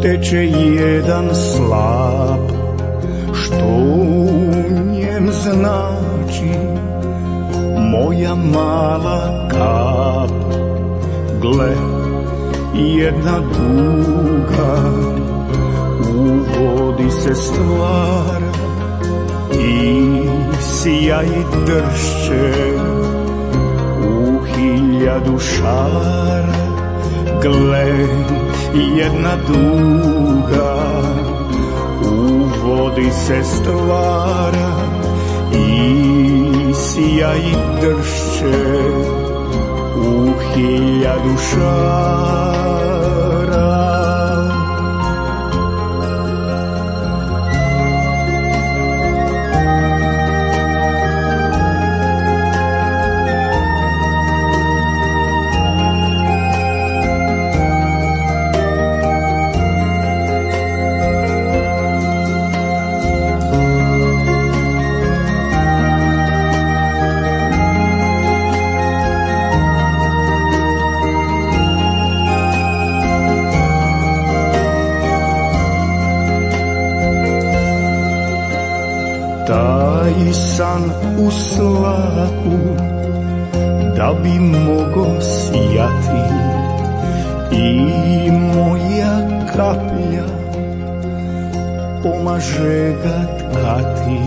Teče jedan slap, što u njem znači moja mala kap. Gle, jedna duga u vodi se stvara i sjaj dršće u 1000 šara. Gle, jedna duga u vodi se stvara i sjaj dršće u 1000 šara. Taj san u slapu da bi mogo sjati i moja kaplja pomaže ga tkati.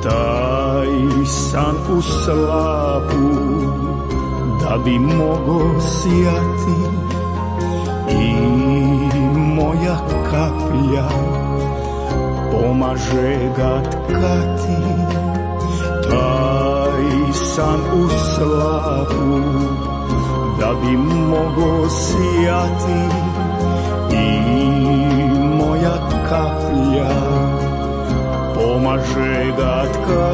Taj san u slapu da bi mogo sjati i moja kaplja pomaže ga tkati. Taj san u slapu da bi mogo sjati i moja kaplja pomaže ga tkati.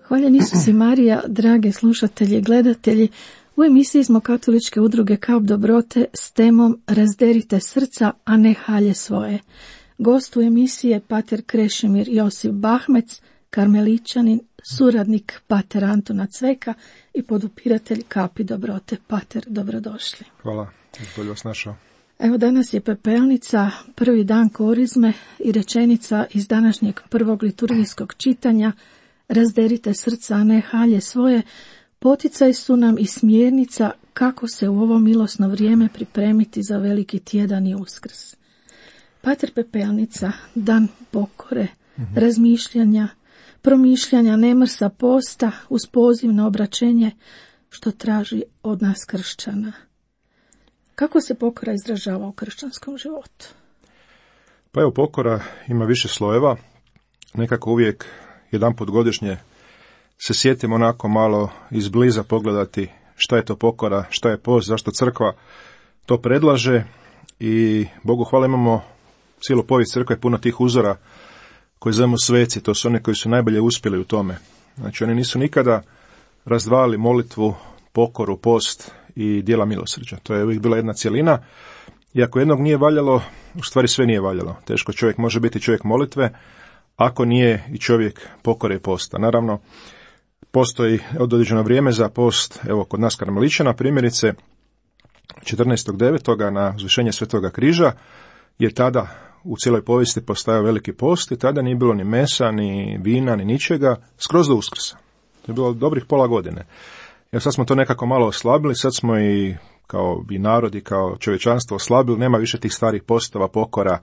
Hvaljen Isus i Marija, drage slušatelji i gledatelji, u emisiji smo katoličke udruge Kap dobrote s temom Razderite srca, a ne halje svoje. Gost u emisiji je pater Krešimir Josip Bahmec, karmeličanin, suradnik pater Antuna Cveka i podupiratelj Kapi dobrote. Pater, dobrodošli. Hvala, bolje vas našao. Evo, danas je Pepelnica, prvi dan Korizme i rečenica iz današnjeg prvog liturgijskog čitanja Razderite srca, a ne halje svoje, poticaj su nam i smjernica kako se u ovo milosno vrijeme pripremiti za veliki tjedan i Uskrs. Pater Pepelnica, dan pokore, razmišljanja, promišljanja, nemrsa, posta uz poziv na obraćenje što traži od nas kršćana. Kako se pokora izražava u kršćanskom životu? Pa evo, pokora ima više slojeva. Nekako uvijek jedanput godišnje se sjetimo onako malo izbliza pogledati šta je to pokora, šta je post, zašto crkva to predlaže. I Bogu hvala, imamo cijelu povijest crkve puno tih uzora koji zovemo sveci. To su oni koji su najbolje uspjeli u tome. Znači, oni nisu nikada razdvajali molitvu, pokoru, post i djela milosrđa. To je uvijek bila jedna cjelina. I ako jednog nije valjalo, u stvari sve nije valjalo. Teško čovjek može biti čovjek molitve ako nije i čovjek pokore i posta. Naravno, postoji određeno vrijeme za post, evo kod nas karmeličana primjerice, 14.9. na uzvišenje Svetoga križa, jer tada u cijeloj povijesti postajao veliki post i tada nije bilo ni mesa, ni vina, ni ničega, skroz do Uskrsa. To je bilo dobrih pola godine. Jer sad smo to nekako malo oslabili, sad smo i kao i narod i kao čovječanstvo oslabili, nema više tih starih postova, pokora.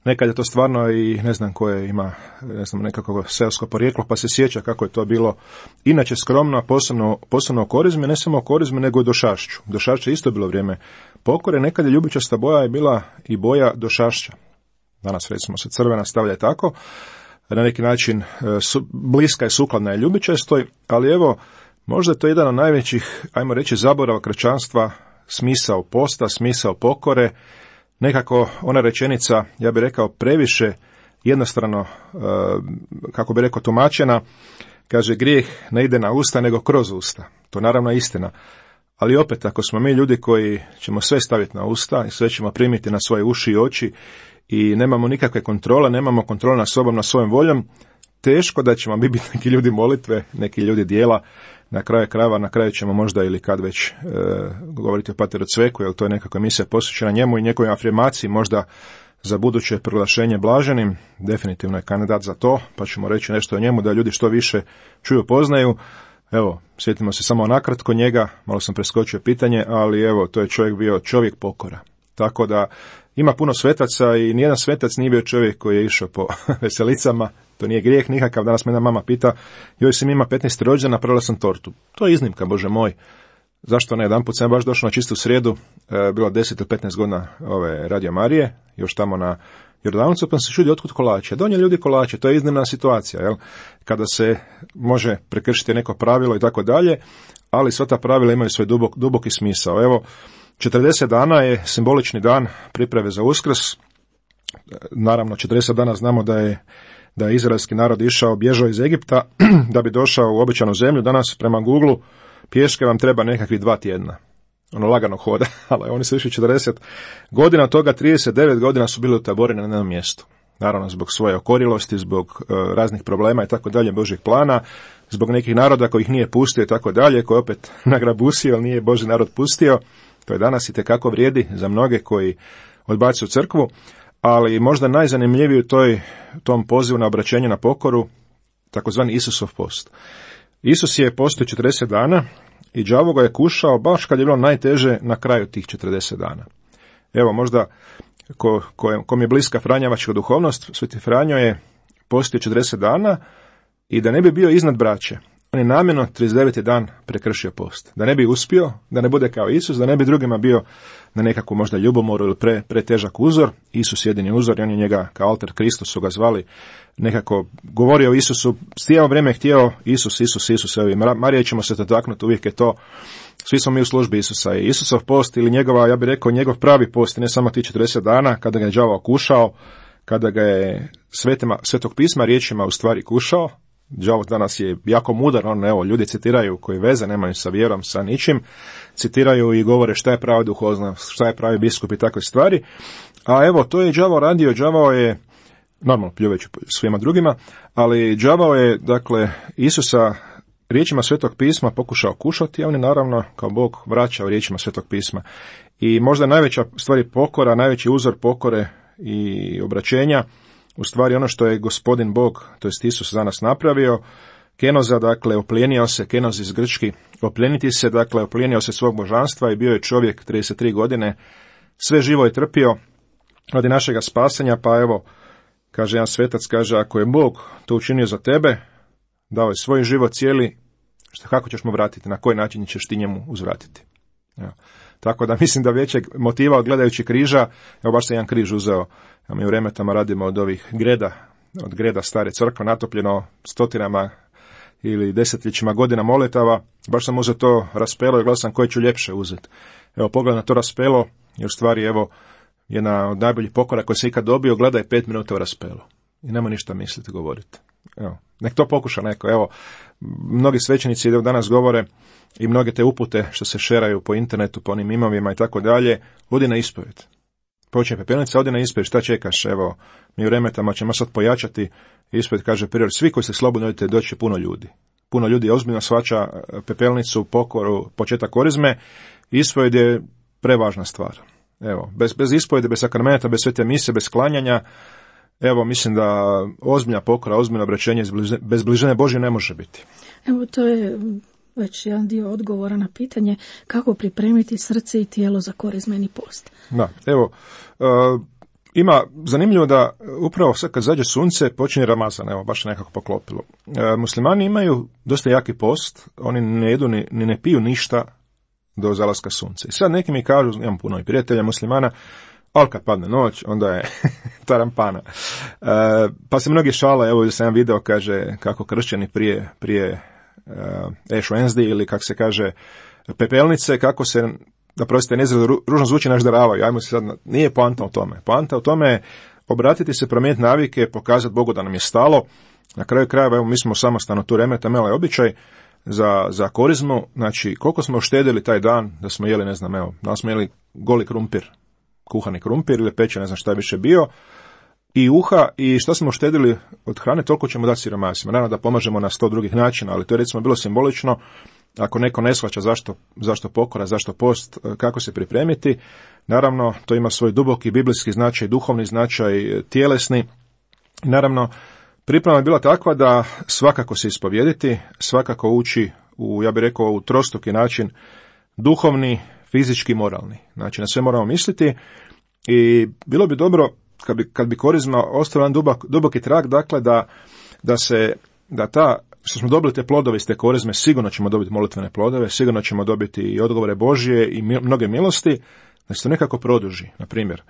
Nekad je to stvarno i ne znam koje ima, ne znam, nekako seosko porijeklo, pa se sjeća kako je to bilo inače skromno, a posebno o korizmi, ne samo o korizmi, nego i došašću. Došašće je isto bilo vrijeme pokore, nekad je ljubičasta boja je bila i boja došašća. Danas recimo se crvena stavlja tako, na neki način bliska je, sukladna je ljubičastoj, ali evo, možda je to jedan od najvećih, ajmo reći, zaborava kršćanstva, smisao posta, smisao pokore, nekako ona rečenica, ja bih rekao, previše jednostrano, kako bi rekao, tumačena, kaže grijeh ne ide na usta nego kroz usta. To naravno je istina. Ali opet, ako smo mi ljudi koji ćemo sve staviti na usta i sve ćemo primiti na svoje uši i oči i nemamo nikakve kontrole, nemamo kontrole nad sobom, na svojom voljom, teško da ćemo biti neki ljudi molitve, neki ljudi dijela, na kraju krajeva, na kraju ćemo možda ili kad već govoriti o Pateru Cveku, jer to je nekakva emisija posvećena njemu i njegovoj afirmaciji, možda za buduće proglašenje blaženim, definitivno je kandidat za to, pa ćemo reći nešto o njemu, da ljudi što više čuju, poznaju. Evo, sjetimo se samo nakratko njega, malo sam preskočio pitanje, ali evo, to je čovjek bio čovjek pokora. Tako da ima puno svetaca i nijedan svetac nije bio čovjek koji je išao po veselicama, to nije grijeh nikakav. Danas me jedna mama pita, joj sam ima 15. rođendan, napravila sam tortu. To je iznimka, Bože moj. Zašto ne? Jedanput sam baš došao na čistu srijedu, bilo 10 ili 15 godina ove Radio Marije, još tamo na Jordanovcu, pa sam se čudio otkud kolače. Donijeli ljudi kolače, to je iznimna situacija, jel? Kada se može prekršiti neko pravilo i tako dalje, ali sva ta pravila imaju svoj duboki smisao. Evo, 40 dana je simbolični dan priprave za Uskrs. Naravno, 40 dana znamo da je izraelski narod bježao iz Egipta da bi došao u obećanu zemlju. Danas prema Google pješke vam treba nekakvih 2 tjedna. Ono lagano hoda, ali oni su išli 40 godina, od toga 39 godina su bili utaboreni na jednom mjestu. Naravno, zbog svoje okorilosti, zbog raznih problema i tako dalje, Božjeg plana, zbog nekih naroda koji ih nije pustio i tako dalje, koji opet nagrabusio, ali nije Božji narod pustio. To je danas i tekako vrijedi za mnoge koji odbacuju crkvu, ali možda najzanimljiviji u tom pozivu na obraćenje na pokoru, takozvani Isusov post. Isus je postio 40 dana i đavo ga je kušao baš kad je bilo najteže na kraju tih 40 dana. Evo, možda kom je bliska franjevačka duhovnost, Sveti Franjo je postio 40 dana i da ne bi bio iznad braće, on je namjerno 39. dan prekršio post. Da ne bi uspio, da ne bude kao Isus, da ne bi drugima bio na nekakvu možda ljubomoru ili pretežak uzor. Isus jedini uzor i on je njega kao alter Kristus su ga zvali, nekako govorio o Isusu, cijelo vrijeme htio Isus. Evo, Marije ćemo se dotaknuti, uvijek je to, svi smo mi u službi Isusa. I Isusov post ili njegova, ja bih rekao, njegov pravi post, ne samo ti 40 dana, kada ga je đavo kušao, kada ga je Svetog pisma riječima u stvari kušao. Đavo danas je jako mudar, ljudi citiraju koji veze nemaju sa vjerom, sa ničim, citiraju i govore šta je prava duhovnost, šta je pravi biskup i takve stvari. A evo, to je đavo radio, đavo je, normalno pljuvajući svima drugima, ali đavo je, dakle, Isusa riječima Svetog pisma pokušao kušati, a on je naravno kao Bog vraćao riječima Svetog pisma. I možda najveća stvari pokora, najveći uzor pokore i obraćenja, u stvari ono što je Gospodin Bog, to jest Isus za nas napravio, kenoza, dakle, oplijenio se, kenoz iz grčki, oplijeniti se, dakle, oplijenio se svog božanstva i bio je čovjek 33 godine, sve živo je trpio radi našega spasanja, pa evo, kaže jedan svetac, kaže, ako je Bog to učinio za tebe, dao je svoj život cijeli, kako ćeš mu vratiti, na koji način ćeš ti njemu uzvratiti. Evo. Tako da mislim da većeg motiva od gledajući križa, evo baš sam jedan križ uzeo, a mi u Remetama radimo od ovih greda stare crkve, natopljeno stotinama ili desetljećima godina molitava, baš sam uzeo to raspelo i gledao sam koje ću ljepše uzeti. Evo, pogled na to raspelo, jer u stvari, evo, jedna od najboljih pokora koje se ikad dobio, gledaj 5 minuta u raspelo. I nema ništa misliti, govoriti. Evo, nek to pokuša neko. Evo, mnogi svećenici danas govore i mnoge te upute što se šeraju po internetu, po onim imovima i tako dalje, odi na ispovijed. Počne pepelnica, odi na ispovijed, šta čekaš? Evo, mi u Remetama ćemo sad pojačati ispovijed, kaže prior, svi koji se slobodno odite, doći puno ljudi. Puno ljudi ozbiljno shvaća pepelnicu, pokoru, početak korizme. Ispovijed je prevažna stvar. Evo, bez ispovjedi, bez sakramenta, bez svete mise, bez klanjanja, evo, mislim da ozbiljna pokora, ozbiljno obraćenje bez bližine Božje ne može biti. Evo, to je već jedan dio odgovora na pitanje kako pripremiti srce i tijelo za korizmeni post. Da, evo, ima zanimljivo da upravo sad kad zađe sunce počinje Ramazan, evo, baš nekako poklopilo. Muslimani imaju dosta jaki post, oni ne jedu ni ne piju ništa do zalaska sunca. I sad neki mi kažu, imam puno i prijatelja muslimana, ali kad padne noć, onda je tarampana. Pa se mnogi šale, evo sam jedan video, kaže kako kršćani prije Ash Wednesday ili kako se kaže pepelnice, kako se, da prostite, ružno zvuči, našdaravaju. Ajmo se sad, nije poanta u tome. Poanta u tome je obratiti se, promijeniti navike, pokazati Bogu da nam je stalo. Na kraju krajeva, evo, mi smo samostalno tu remeta-mela je običaj za korizmu, znači koliko smo uštedili taj dan da smo jeli, ne znam, evo, da smo jeli goli krumpir, kuhani krumpir ili pečen, ne znam šta je više bio, i uha, i što smo uštedili od hrane, toliko ćemo dati siromasima. Naravno da pomažemo na 100 drugih načina, ali to je recimo bilo simbolično. Ako neko ne shvaća zašto pokora, zašto post, kako se pripremiti, naravno to ima svoj duboki biblijski značaj, duhovni značaj, tjelesni. Naravno, priprema je bila takva da svakako se ispovjediti, svakako ući u, ja bih rekao, u trostruki način, duhovni, fizički, moralni. Znači, na sve moramo misliti i bilo bi dobro kad bi korizma ostavila jedan duboki trag, dakle, da ta, što smo dobili te plodove iz te korizme, sigurno ćemo dobiti molitvene plodove, sigurno ćemo dobiti i odgovore Božje i mnoge milosti, da se to nekako produži. Na primjer,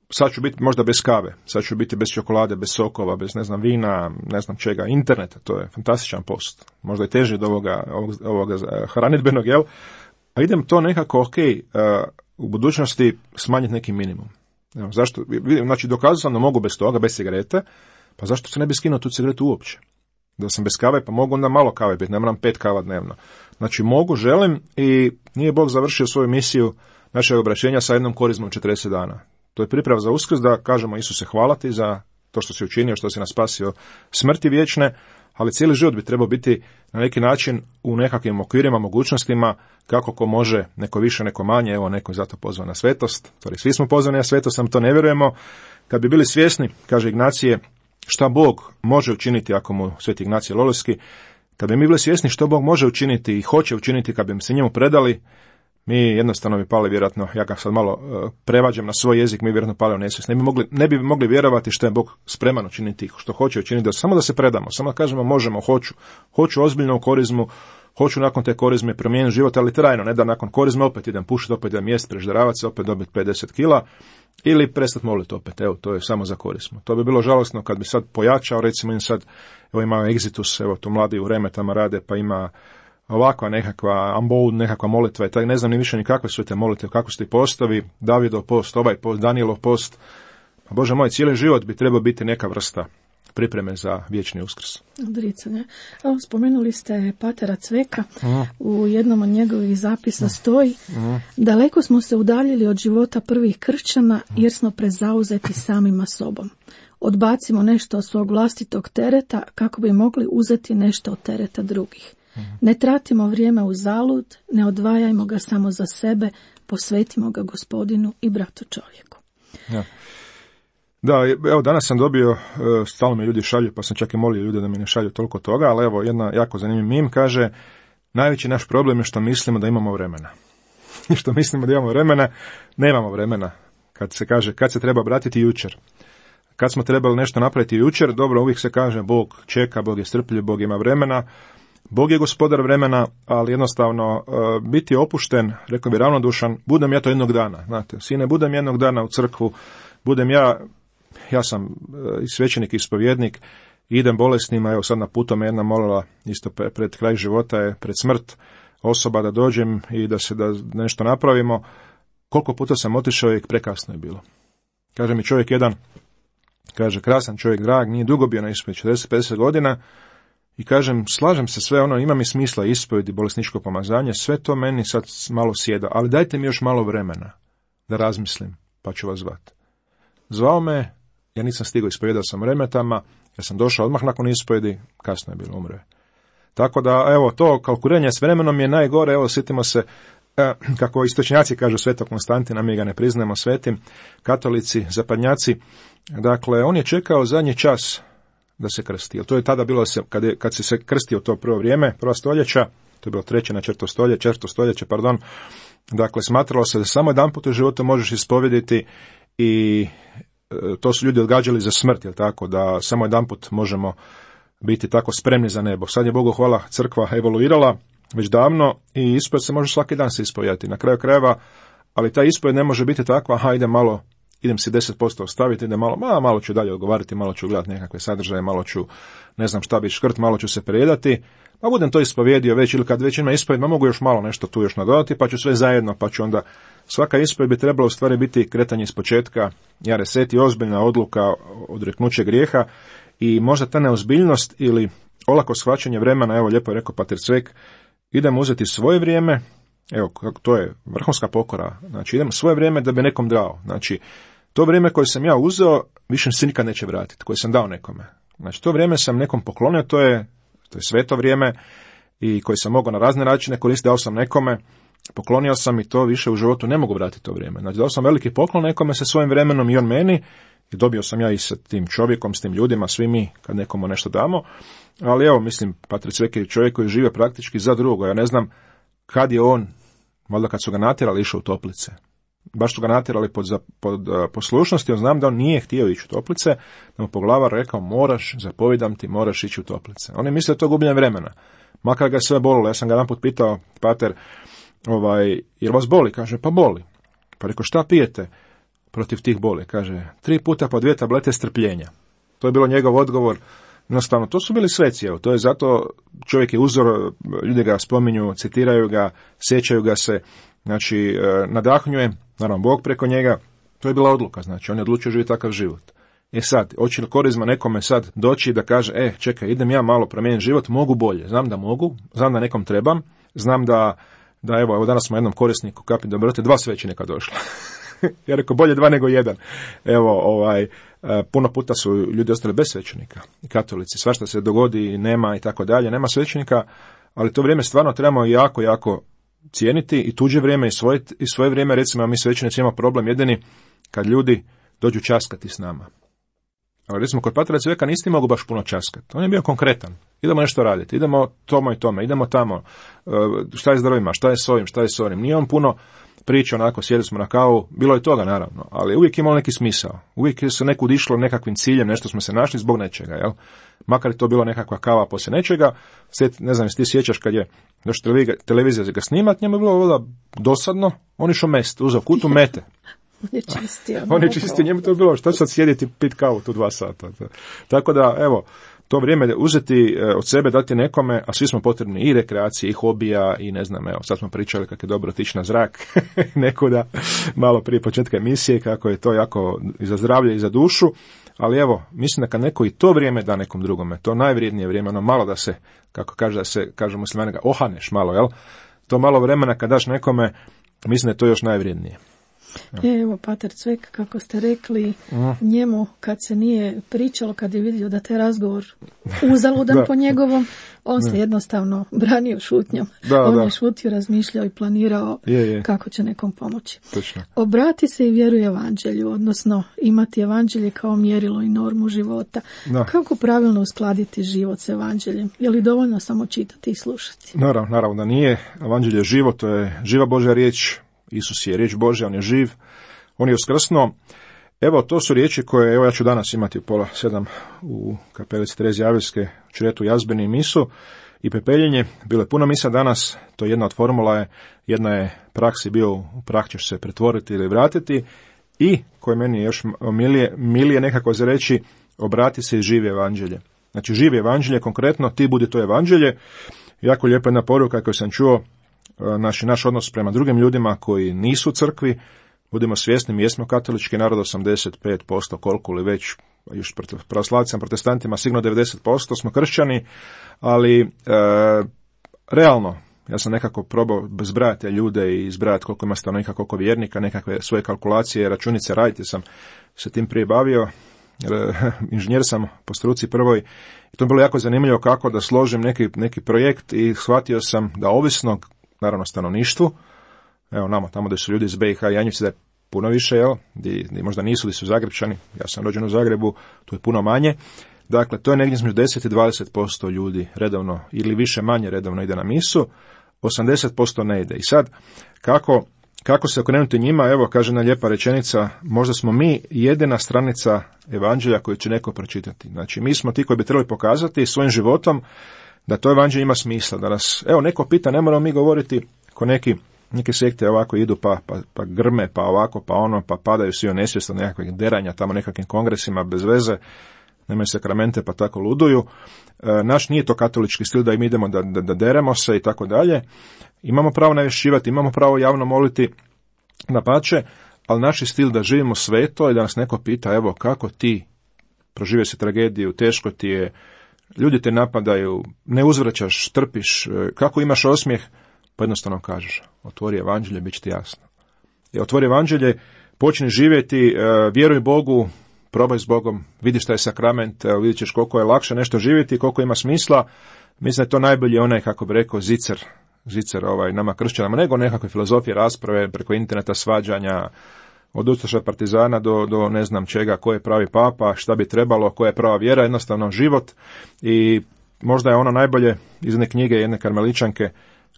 sad ću biti možda bez kave, sad ću biti bez čokolade, bez sokova, bez, ne znam, vina, ne znam čega, interneta, to je fantastičan post. Možda i teži od ovoga hranidbenog, jel? A idem to nekako, u budućnosti smanjiti neki minimum. Evo, zašto? Znači, dokazao sam da mogu bez toga, bez cigarete, pa zašto se ne bi skinuo tu cigaretu uopće? Da sam bez kave, pa mogu onda malo kave biti, ne moram 5 kava dnevno. Znači, mogu, želim i nije Bog završio svoju misiju našeg obraćenja sa jednom korizmom 40 dana. To je priprava za Uskrs, da kažemo Isuse hvala ti za to što si učinio, što si nas spasio smrti vječne, ali cijeli život bi trebao biti na neki način u nekakvim okvirima, mogućnostima, kako ko može, neko više, neko manje, evo, neko je zato pozvan na svetost, svi smo pozvani na svetost, samo to ne vjerujemo. Kad bi bili svjesni, kaže Ignacije, šta Bog može učiniti, ako mu Sveti Ignacije Lolojski, kad bi mi bili svjesni što Bog može učiniti i hoće učiniti, kad bi se njemu predali, mi jednostavno bi pali vjerojatno, ja ga sad malo prevađam na svoj jezik, mi vjerojatno pali u nesvijest. Ne bi mogli vjerovati što je Bog spreman učiniti, što hoće učiniti, samo da se predamo, samo da kažemo možemo, hoću ozbiljno u korizmu, hoću nakon te korizme promijeniti život, ali trajno, ne da nakon korizme opet idem pušiti, opet idem jest, prežderavati se, opet dobiti 50 kila, ili prestati moliti opet, evo, to je samo za korizmu. To bi bilo žalosno kad bi sad pojačao, recimo im sad, evo ima Exitus, evo tu mladi u remetama rade, pa ima ovakva nekakva amboud, nekakva molitva i tako, ne znam ni više ni kakve su te molitve, kako su ti postavi, Davidov post, ovaj post, Danielov post. Pa Bože moj, cijeli život bi trebao biti neka vrsta pripreme za vječni Uskrs. Odricanje. Evo, spomenuli ste patera Cveka, u jednom od njegovih zapisa stoji, daleko smo se udaljili od života prvih kršćana jer smo prezauzeti samima sobom. Odbacimo nešto od svog vlastitog tereta kako bi mogli uzeti nešto od tereta drugih. Ne tratimo vrijeme u zalud, ne odvajajmo ga samo za sebe, posvetimo ga Gospodinu i bratu čovjeku. Ja. Da, evo danas sam dobio, stalno mi ljudi šalju, pa sam čak i molio ljude da mi ne šalju toliko toga, ali evo jedna jako zanimljiv mim kaže, najveći naš problem je što mislimo da imamo vremena. I što mislimo da imamo vremena, nemamo vremena. Kad se kaže, kad se treba obratiti jučer. Kad smo trebali nešto napraviti jučer, dobro, uvijek se kaže Bog čeka, Bog je strpljiv, Bog ima vremena, Bog je gospodar vremena, ali jednostavno biti opušten, rekao bi ravnodušan, budem ja to jednog dana, znate, sine, budem jednog dana u crkvu, budem ja sam i svećenik i ispovjednik, idem bolesnima, evo sad na putu me jedna molila, isto pred kraj života je, pred smrt osoba da dođem i da nešto napravimo, koliko puta sam otišao i prekasno je bilo. Kaže mi čovjek jedan, kaže, krasan čovjek, drag, nije dugo bio na ispovjedi, 40-50 godina, i kažem, slažem se sve ono, ima mi smisla ispovjedi, bolesničko pomazanje, sve to meni sad malo sjeda, ali dajte mi još malo vremena da razmislim, pa ću vas zvati. Zvao me, ja nisam stigao, ispovjedao sam remetama, ja sam došao odmah nakon ispovjedi, kasno je bilo, umre. Tako da, evo, to kalkuliranje s vremenom je najgore, evo, sjetimo se kako istočnjaci kažu Svetog Konstantina, mi ga ne priznajemo svetim, katolici, zapadnjaci, dakle, on je čekao zadnji čas da se krsti. To je tada bilo, kad se krstio to prvo vrijeme, prva stoljeća, to je bilo 3. na 4. stoljeće, dakle, smatralo se da samo jedan put u životu možeš ispovjediti i to su ljudi odgađali za smrt, jel tako, da samo jedan put možemo biti tako spremni za nebo. Sad je, Bogu hvala, crkva evoluirala već davno i ispovjed se može svaki dan se ispovjedati. Na kraju krajeva, ali ta ispovjed ne može biti takva, idem si 10% ostaviti, idem malo ću dalje odgovarati, malo ću gledati nekakve sadržaje, malo ću, ne znam šta bi škrt, malo ću se prejedati, pa budem to ispovjedio već, ili kad već ima ispovjed, mogu još malo nešto tu još nadodati, pa ću sve zajedno, pa ću onda, svaka ispovjed bi trebala u stvari biti kretanje iz početka, reseti, ozbiljna odluka, odreknuće grijeha i možda ta neozbiljnost ili olako shvaćanje vremena, evo lijepo je rekao pater Cvek, idem uzeti svoje vrijeme, evo, to je vrhunska pokora, znači idem svoje vrijeme da bi nekom dao, znači to vrijeme koje sam ja uzeo, više se nikad neće vratiti, koje sam dao nekome. Znači to vrijeme sam nekom poklonio, to je sveto vrijeme i koje sam mogao na razne načine koristiti, dao sam nekome, poklonio sam i to više u životu ne mogu vratiti to vrijeme. Znači dao sam veliki poklon nekome sa svojim vremenom i on meni, i dobio sam ja i sa tim čovjekom, s tim ljudima, svi mi kad nekomu nešto damo, ali evo, mislim, pater Cvek je čovjek koji žive praktički za drugo, ja ne znam kad je on, valjda kad su ga natjerali, išao u toplice. Baš su ga natjerali pod poslušnosti, on znam da on nije htio ići u toplice, da mu poglavar rekao, moraš, zapovijedam ti, moraš ići u toplice. On je mislio da to gubljenje vremena, makar ga sve bolilo. Ja sam ga jedanput pitao, pater, jel vas boli? Kaže, pa boli. Pa rekao, šta pijete protiv tih boli? Kaže, 3 puta po 2 tablete strpljenja. To je bilo njegov odgovor. Jednostavno, to su bili sveci, evo, to je zato čovjek je uzor, ljudi ga spominju, citiraju ga, sjećaju ga se, znači, nadahnjuje, naravno, Bog preko njega, to je bila odluka, znači, on je odlučio živjeti takav život. Sad, hoće li korizma nekome sad doći da kaže, čekaj, idem ja malo promijeniti život, mogu bolje, znam da mogu, znam da nekom trebam, znam da evo danas smo jednom korisniku kapi dobrote 2 svećenika došla. Ja rekao, bolje 2 nego 1. Evo, puno puta su ljudi ostali bez svećenika, i katolici, svašta se dogodi, nema i tako dalje, nema svećenika, ali to vrijeme stvarno trebamo jako, jako cijeniti i tuđe vrijeme i svoje vrijeme. Recimo, mi svećenici imamo problem jedini kad ljudi dođu časkati s nama. Ali recimo, kod patera Cveka niste mogu baš puno časkati. On je bio konkretan. Idemo nešto raditi, idemo tomo i tome, idemo tamo, šta je s drvima, šta je s ovim, šta je s onim. Nije on puno priča, onako, sjeli smo na kavu, bilo je toga naravno, ali uvijek imalo neki smisao. Uvijek se nekud išlo nekakvim ciljem, nešto smo se našli zbog nečega, jel? Makar je to bilo nekakva kava poslije nečega, ne znam, ti sjećaš kad je došla televizija ga snimat, njemu je bilo dosadno, on išao mest, uzeo kutu mete. On je čistio, njemu to je bilo, šta sad sjediti pit kavu tu 2 sata. Tako da, evo, to vrijeme uzeti od sebe, dati nekome, a svi smo potrebni i rekreacije, i hobija, i ne znam, evo, sad smo pričali kako je dobro otići na zrak, nekuda, malo prije početka emisije, kako je to jako i za zdravlje i za dušu, ali evo, mislim da kad neko i to vrijeme da nekom drugome, to najvrijednije vrijeme, ono malo da se, kako kaže muslimani, ohaneš malo, jel? To malo vremena kad daš nekome, mislim da je to još najvrijednije. Evo, pater Cvek, kako ste rekli, njemu kad se nije pričalo, kad je vidio da te razgovor uzaludan po njegovom, on se jednostavno branio šutnjom. On je šutio, razmišljao i planirao kako će nekom pomoći. Točno. Obrati se i vjeruje evanđelju, odnosno imati evanđelje kao mjerilo i normu života. Kako pravilno uskladiti život s evanđeljem? Je li dovoljno samo čitati i slušati? Naravno da nije. Evanđelje je živo, to je živa Božja riječ. Isus je riječ Božja, on je živ, on je uskrsnuo. Evo, to su riječi koje, evo, ja ću danas imati u 6:30 u kapelici Terezije Avilske, čretu jazbeni misu i pepeljenje. Bilo je puno misa danas, to je jedna od formula, jedna je praksi bio, u prah ćeš se pretvoriti ili vratiti, i koje meni još milije nekako za reći, obrati se i živi evanđelje. Znači, živi evanđelje, konkretno, ti budi to evanđelje. Jako lijepa jedna poruka koju sam čuo, naš odnos prema drugim ljudima koji nisu u crkvi. Budimo svjesni, mi jesmo katolički narod, 85%, koliko li već, još pravoslavcima, protestantima, sigurno 90% smo kršćani, ali realno, ja sam nekako probao zbrajati ljude i zbrajati koliko ima stanovnika, koliko vjernika, nekakve svoje kalkulacije, računice raditi, sam se tim prije bavio, inženjer sam po struci prvoj, i to je bilo jako zanimljivo kako da složim neki projekt, i shvatio sam da ovisno, naravno, stanovništvu, evo nama, tamo da su ljudi iz BiH i Janjevci da je puno više, jel, di možda nisu, di su Zagrebčani, ja sam rođen u Zagrebu, tu je puno manje. Dakle, to je negdje između 10 i 20% ljudi redovno ili više manje redovno ide na misu, 80% ne ide. I sad, kako se okrenuti njima, evo, kaže jedna lijepa rečenica, možda smo mi jedina stranica evanđelja koju će neko pročitati. Znači, mi smo ti koji bi trebali pokazati svojim životom da to evanđelje ima smisla, da nas, evo, neko pita, ne moramo mi govoriti ko neke sekte ovako idu pa grme, pa ovako, pa ono, pa padaju svi u nesvijest od nekakvih deranja tamo nekakvim kongresima bez veze, nemaju sakramente pa tako luduju. Naš nije to katolički stil da im idemo da deremo se i tako dalje. Imamo pravo navješćivati, imamo pravo javno moliti, dapače, ali naš je stil da živimo sveto i da nas neko pita, evo, kako ti proživio si tragediju, teško ti je, ljudi te napadaju, ne uzvraćaš, trpiš, kako imaš osmijeh, pa jednostavno kažeš, otvori evanđelje, bit će ti jasno. Otvori evanđelje, počni živjeti, vjeruj Bogu, probaj s Bogom, vidi šta je sakrament, vidit ćeš koliko je lakše nešto živjeti, koliko ima smisla. Mislim da je to najbolji onaj, kako bi rekao, zicer nama kršćanama, nego nekakve filozofije, rasprave, preko interneta, svađanja, od ustaša partizana do ne znam čega, ko je pravi papa, šta bi trebalo, koja je prava vjera, jednostavno život. I možda je ono najbolje iz jedne knjige jedne karmeličanke,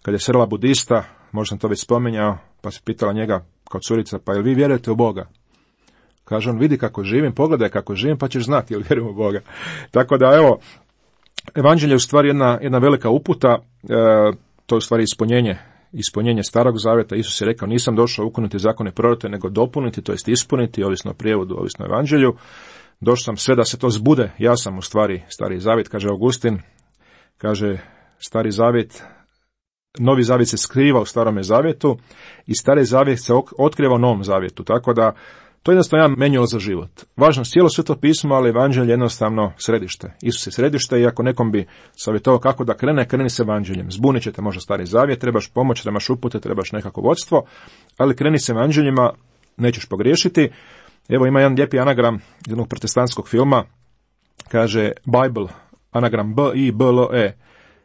kad je srela budista, možda sam to već spominjao, pa se pitala njega kao curica, pa jel vi vjerujete u Boga? Kaže on, vidi kako živim, pogledaj kako živim, pa ćeš znati jel vjerujem u Boga. Tako da, evo, evanđelje je u stvari jedna velika uputa, to je u stvari ispunjenje Starog zavjeta. Isus je rekao, nisam došao ukinuti zakone proroke, nego dopuniti, to jest ispuniti, ovisno o prijevodu, ovisno o evanđelju. Došao sam sve da se to zbude, ja sam u stvari Stari zavjet, kaže Augustin, kaže Stari zavjet, Novi zavjet se skriva u Starome zavjetu i Stari zavjet se otkriva u Novom zavjetu, tako da to je jednostavno jedan manual za život. Važno cijelo Sveto pismo, ali evanđelje je jednostavno središte. Isus je središte i ako nekom bi savjetovao kako da kreni s evanđeljem. Zbunit ćete možda Stari zavjet, trebaš pomoć, trebaš upute, trebaš nekako vodstvo, ali kreni s evanđeljima, nećeš pogriješiti. Evo ima jedan lijepi anagram jednog protestantskog filma, kaže Bible, anagram B-I-B-L-E,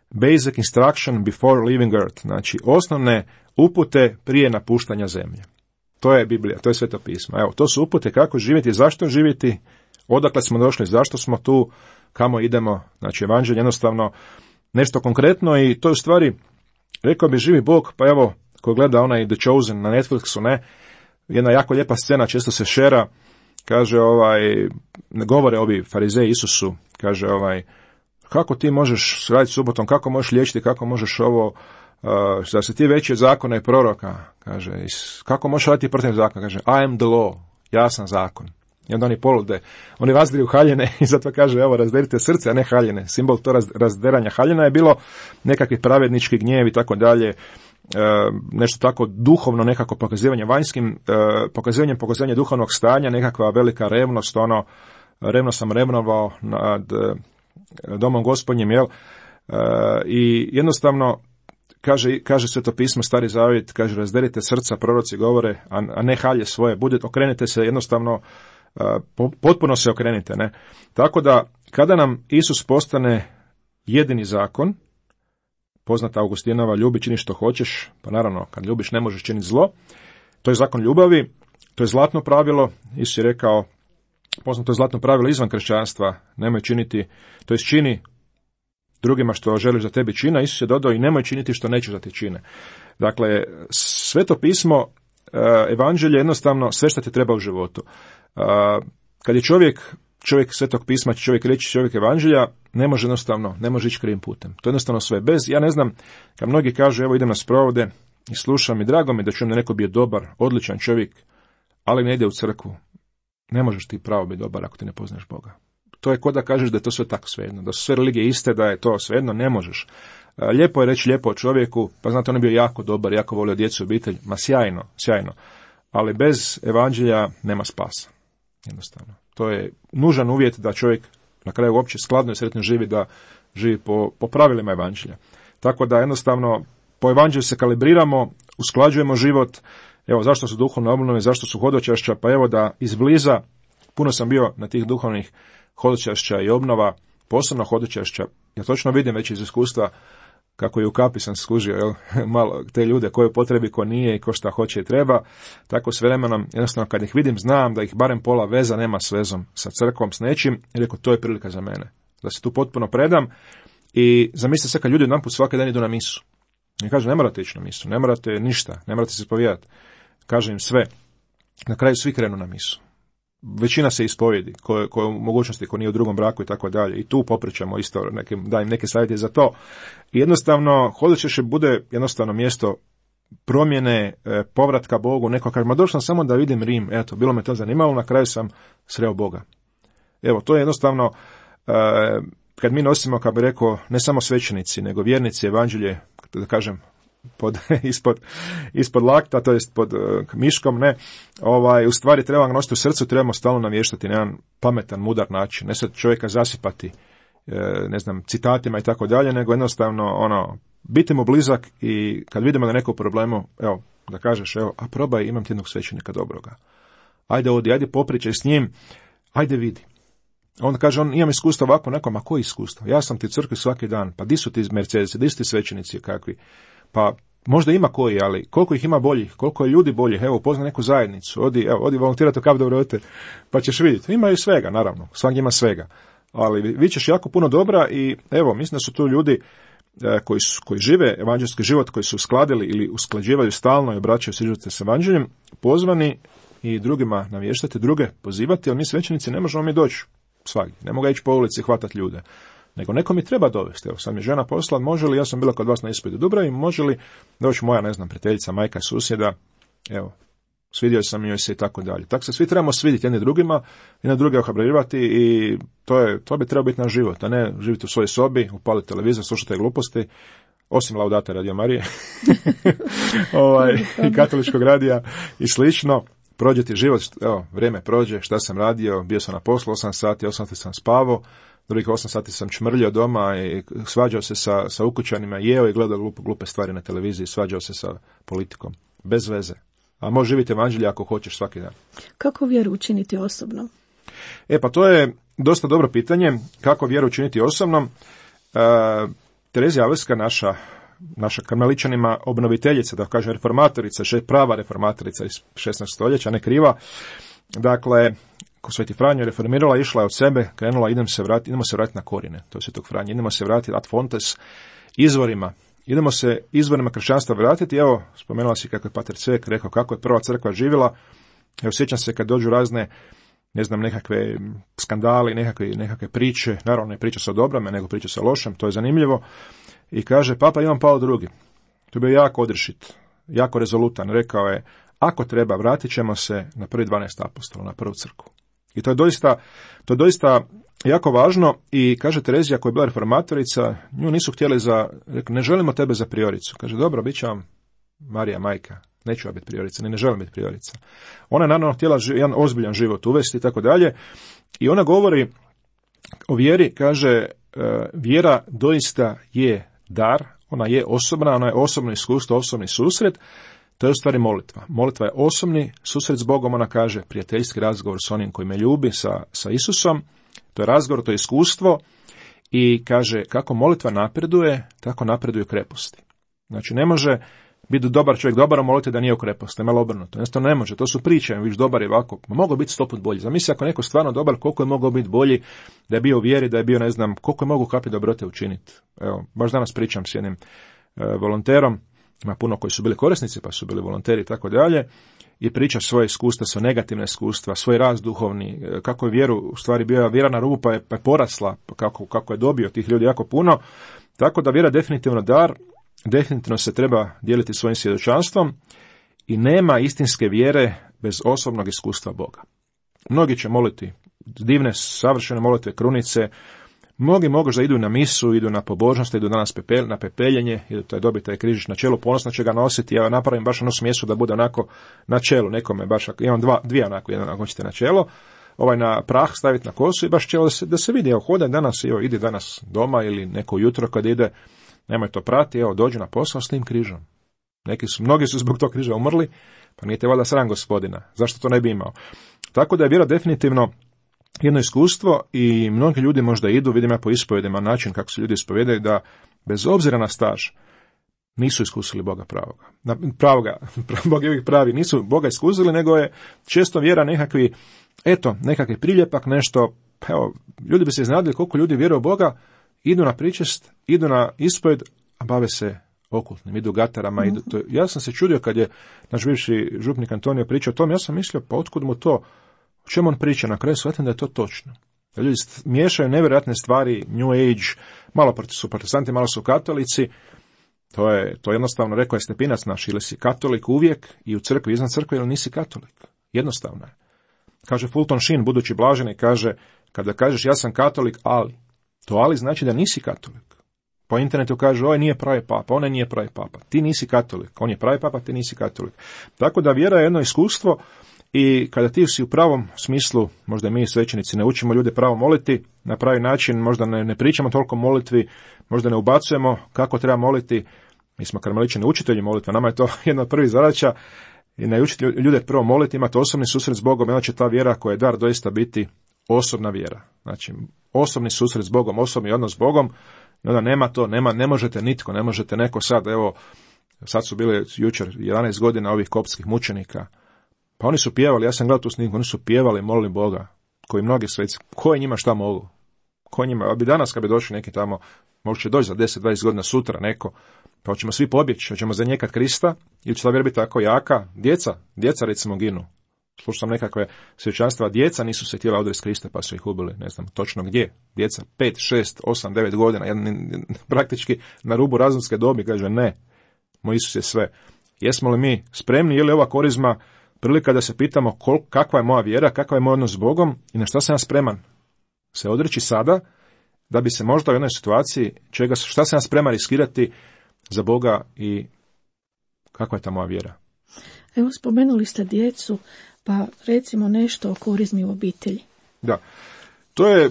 Basic Instruction Before Leaving Earth, znači osnovne upute prije napuštanja zemlje. To je Biblija, to je Sveto pismo. Evo, to su upute kako živjeti, zašto živjeti, odakle smo došli, zašto smo tu, kamo idemo. Znači, evanđelje jednostavno nešto konkretno i to je u stvari, rekao bi živi Bog, pa evo, ko gleda onaj The Chosen na Netflixu, ne, jedna jako lijepa scena, često se šera, kaže, govore ovi farizeji Isusu, kaže, kako ti možeš raditi subotom, kako možeš liječiti, kako možeš ovo, da se ti veći od zakona i proroka, kaže, kako možeš raditi protiv zakona, kaže, I am the law, ja sam zakon. I onda oni polude, oni razdiraju haljine i zato kaže, evo, razderite srce, a ne haljine. Simbol to razderanja haljina je bilo nekakvi pravednički gnjev i tako dalje, nešto tako duhovno, nekako pokazivanje vanjskim, pokazivanje duhovnog stanja, nekakva velika revnost, revno sam revnovao nad domom Gospodnjim, jel? I jednostavno, kaže Sveto pismo, Stari zavjet, kaže, razderite srca, proroci govore, a ne halje svoje, okrenite se jednostavno, potpuno se okrenite, ne? Tako da, kada nam Isus postane jedini zakon, poznata Augustinova, ljubi, čini što hoćeš, pa naravno, kad ljubiš ne možeš činiti zlo, to je zakon ljubavi, to je zlatno pravilo, Isus je rekao, poznato je zlatno pravilo izvan kršćanstva, nemoj činiti, to jest čini drugima što želiš da tebi čine, Isus je dodao i nemoj činiti što nećeš da ti čine. Dakle, Sveto pismo, evanđelje, jednostavno sve što ti treba u životu. Kad je čovjek Svetog pisma, čovjek reći čovjek evanđelja, ne može ići krivim putem. To je jednostavno sve. Ja ne znam, kad mnogi kažu, evo idem na sprovode i slušam i drago mi da čujem da neko bio dobar, odličan čovjek, ali ne ide u crkvu. Ne možeš ti pravo biti dobar ako ti ne poznaš Boga. To je ko da kažeš da je to sve tako svejedno, da su sve religije iste, da je to svejedno, ne možeš. Lijepo je reći lijepo o čovjeku, pa znate, on je bio jako dobar, jako volio djecu i obitelj, ma sjajno, ali bez evanđelja nema spasa, jednostavno. To je nužan uvjet da čovjek na kraju uopće skladno i sretno živi, da živi po pravilima evanđelja. Tako da jednostavno po evanđelju se kalibriramo, usklađujemo život. Evo, zašto su duhovne obnove, zašto su hodočašća, pa evo da izbliza, puno sam bio na tih duhovnih hodočašća i obnova, posebno hodočašća, ja točno vidim već iz iskustva kako je u kapi sam skužio, jel? Malo te ljude koje potrebi, ko nije i ko šta hoće i treba, tako s vremenom, jednostavno kad ih vidim, znam da ih barem pola veza nema s vezom, sa crkvom, s nečim, i rekao, to je prilika za mene, da se tu potpuno predam. I zamislite se kad ljudi jedanput svaki dan idu na misu. I kažu, ne morate ići na misu, ne morate ništa, ne morate se ispovjedati. Kažem im sve. Na kraju svi krenu na misu. Većina se ispovjedi, koje u mogućnosti, ko nije u drugom braku i tako dalje. I tu popričamo isto, dajem neke savjete za to. I jednostavno, Hodočeše bude jednostavno mjesto promjene, povratka Bogu. Neko kaže, ma došao sam samo da vidim Rim, eto, bilo me to zanimalo, na kraju sam sreo Boga. Evo, to je jednostavno, kad mi nosimo, kao bi rekao, ne samo svećenici, nego vjernici, evanđelje, da kažem, ispod lakta, to jest pod miškom, ne, u stvari treba ga nositi u srcu, trebamo stalno navještati na jedan pametan, mudar način, ne sad čovjeka zasipati, ne znam, citatima i tako dalje, nego jednostavno, biti mu blizak i kad vidimo da neko problemu, evo, da kažeš, evo, a probaj, imam ti jednog svećenika dobroga. Ajde popričaj s njim, ajde vidi. Onda kaže, imam iskustvo ovako, nekom, a koji iskustvo? Ja sam ti u crkvi svaki dan, pa di su ti Mercedesi, di su ti svećenici kakvi? Pa možda ima koji, ali koliko ih ima boljih, koliko je ljudi boljih, evo, upoznaj neku zajednicu, odi volontirati u Kap Dobrote, pa ćeš vidjeti. Ima i svega, naravno, svaki ima svega, ali vi ćeš jako puno dobra i evo, mislim da su tu ljudi koji žive evanđelski život, koji su uskladili ili usklađivaju stalno i obraćaju se živote s evanđeljem, pozvani i drugima navještati, druge pozivati, ali mi svećenici ne možemo mi doći svagdje, ne mogu ići po ulici i hvatati ljude. Nego neko mi treba dovesti. Evo, sad mi žena posla, može li, ja sam bila kod vas na ispitu Dubravi, može li doći moja, ne znam, prijateljica, majka, susjeda, evo, svidio sam joj se i tako dalje. Tako se svi trebamo svidjeti jedni drugima i na druge ohrabljivati i to bi trebao biti naš život, a ne živjeti u svojoj sobi, upaliti televizor, slušati gluposti, osim Laudate Radio Marije i katoličkog radija i slično. Prođe ti život, evo, vrijeme prođe, šta sam radio, bio sam na poslu 8 sati sam spavao, drugih 8 sati sam čmrljao doma i svađao se sa ukućanima, jeo i gledao glupe stvari na televiziji, svađao se sa politikom, bez veze. A možeš živjeti evanđelje ako hoćeš svaki dan. Kako vjeru učiniti osobnom? Pa to je dosta dobro pitanje, kako vjeru učiniti osobnom. Terezija Avlijska, naša karmeličanima obnoviteljica, da kažem reformatorica, prava reformatorica iz 16. stoljeća, ne kriva. Dakle, ko Sveti Franjo reformirala, išla je od sebe, krenula, idemo se vratiti na korine, to je Svetog Franje, idemo se vratiti ad fontes, izvorima, idemo se izvorima kršćanstva vratiti. Evo, spomenula si kako je Pater Cvek rekao kako je prva crkva živjela. Evo, sjećam se kad dođu razne, ne znam, nekakve skandali, nekakve priče, naravno ne priča se o dobrome, nego priča se o lošem, to je zanimljivo. I kaže, Papa Ivan Pavao II, to je bio jako odrešit, jako rezolutan, rekao je, ako treba, vratit ćemo se na prvi 12 apostola, na prvu crkvu. I to je doista jako važno i kaže Terezija koja je bila reformatorica, nju nisu htjeli rekao, ne želimo tebe za prioricu. Kaže, dobro, bit će vam Marija majka, neću ja biti priorica, ne želim biti priorica. Ona je naravno htjela jedan ozbiljan život uvesti i tako dalje i ona govori o vjeri, kaže, vjera doista je dar, ona je osobna, ona je osobno iskustvo, osobni susret, to je u stvari molitva. Molitva je osobni susret s Bogom, ona kaže prijateljski razgovor s onim koji me ljubi, sa Isusom, to je razgovor, to je iskustvo i kaže kako molitva napreduje, tako napreduju kreposti. Znači ne može biti dobar čovjek, dobar u molitvi da nije u kreposti, je malo obrnuto. Jednostavno ne može, to su priče, viš dobar je ovako, mogao biti 100 put bolji. Zamisli ako neko stvarno dobar, koliko je mogao biti bolji, da je bio u vjeri, da je bio, ne znam, koliko je mogao kapi dobrote učiniti. Evo, baš danas pričam s jednim volonterom, ima puno koji su bili korisnici, pa su bili volonteri i tako dalje, i priča svoje iskustva, svoje negativne iskustva, svoj rast duhovni, kako je vjeru, u stvari bio vjera na rubu, pa je porasla, kako je dobio tih ljudi jako puno, tako da vjera definitivno dar, definitivno se treba dijeliti svojim svjedočanstvom i nema istinske vjere bez osobnog iskustva Boga. Mnogi će moliti divne, savršene molitve, krunice, mnogi mogu da idu na misu, idu na pobožnost, idu danas na pepeljenje, idu dobiti taj križić na čelu, ponosno će ga nositi, ja napravim baš ono smjesu da bude onako na čelu, nekome baš, imam dvije onako, jedan ako ćete na čelo, na prah staviti na kosu i baš čelo da se vidi, hodaj danas, idi danas doma ili neko jutro kad ide, nemoj to prati, dođu na posao s tim križom. Mnogi su zbog tog križa umrli, pa nije te valjda sram Gospodina, zašto to ne bi imao. Tako da je vjera definitivno jedno iskustvo i mnogi ljudi možda idu, vidim ja po ispovedima način kako se ljudi ispovedaju, da bez obzira na staž, nisu iskusili Boga pravoga. Bog je uvijek pravi, nisu Boga iskusili, nego je često vjera nekakvi priljepak, nešto, evo, ljudi bi se iznadili koliko ljudi vjeruje u Boga, idu na pričest, idu na ispoved, a bave se okultnim, idu gatarama, ja sam se čudio kad je naš bivši župnik Antonio pričao o tom, ja sam mislio, pa otkud mu to, o čemu on priča, na kraju shvatim da je to točno. Da ljudi miješaju nevjerojatne stvari, New Age, malo su protestanti, malo su katolici, to jednostavno, rekao je Stepinac naš, ili si katolik uvijek i u crkvi, izvan crkve, ili nisi katolik. Jednostavno je. Kaže Fulton Sheen, budući blaženi, kaže, kada kažeš ja sam katolik, ali znači da nisi katolik. Po internetu kaže, ovaj nije pravi papa, onaj nije pravi papa. Ti nisi katolik, on je pravi papa, ti nisi katolik. Tako da vjera je jedno iskustvo i kada ti si u pravom smislu, možda mi svećenici ne učimo ljude pravo moliti, na pravi način, možda ne pričamo toliko molitvi, možda ne ubacujemo kako treba moliti, mi smo karmeličani učitelji molitve, nama je to jedna od prvih zadaća, i naučiti ljude prvo moliti, imati osobni susret s Bogom, onda će ta vjera koja je dar doista biti osobna vjera. Znači, osobni susret s Bogom, osobni odnos s Bogom, i onda ne možete nitko, ne možete neko sad, evo, sad su bili jučer 11 godina ovih koptskih mučenika, pa oni su pjevali, ja sam gledao tu snimku, oni su pjevali, molili Boga, koji mnogi sveci, ko je njima šta mogu? Ko je njima, ali bi danas kad bi došli neki tamo, možda će doći za 10-20 godina sutra neko, pa hoćemo svi pobjeći, hoćemo zanijekati Krista, ili će ta vjera biti tako jaka, djeca recimo ginu. Slušao sam nekakve svjećanstva, djeca nisu se htjela odresti Krista pa su ih ubili, ne znam točno gdje. Djeca 5, 6, 8, 9 godina, praktički na rubu razumske dobi, kaže ne, moj Isus je sve. Jesmo li mi spremni, je li ova korizma prilika da se pitamo kakva je moja vjera, kakav je moj odnos s Bogom i na šta sam ja spreman se odreći sada, da bi se možda u jednoj situaciji, šta sam ja spreman riskirati za Boga i kakva je ta moja vjera. Evo, spomenuli ste djecu, pa recimo nešto o korizmi u obitelji. Da, to je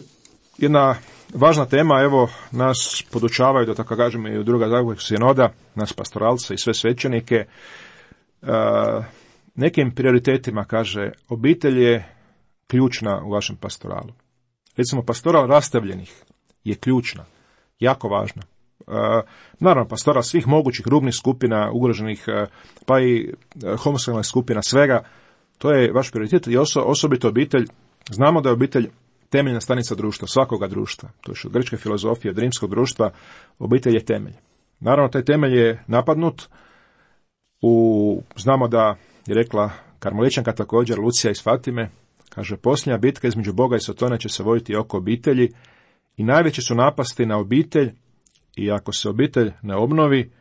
jedna važna tema, evo, nas podučavaju, da tako kažemo, i u druga Zagorskog sinoda, nas pastoralce i sve svećenike, nekim prioritetima, kaže, obitelj je ključna u vašem pastoralu. Recimo, pastoral rastavljenih je ključna, jako važna. Naravno, pastoral svih mogućih rubnih skupina, ugroženih, pa i homoseksualnih skupina, svega, to je vaš prioritet i osobito obitelj. Znamo da je obitelj temeljna stanica društva, svakoga društva. To je od grčke filozofije, od rimskog društva, obitelj je temelj. Naravno, taj temelj je napadnut. Znamo da je rekla karmeličanka također, Lucija iz Fatime, kaže, posljednja bitka između Boga i Sotona će se voditi oko obitelji i najveće su napasti na obitelj i ako se obitelj ne obnovi,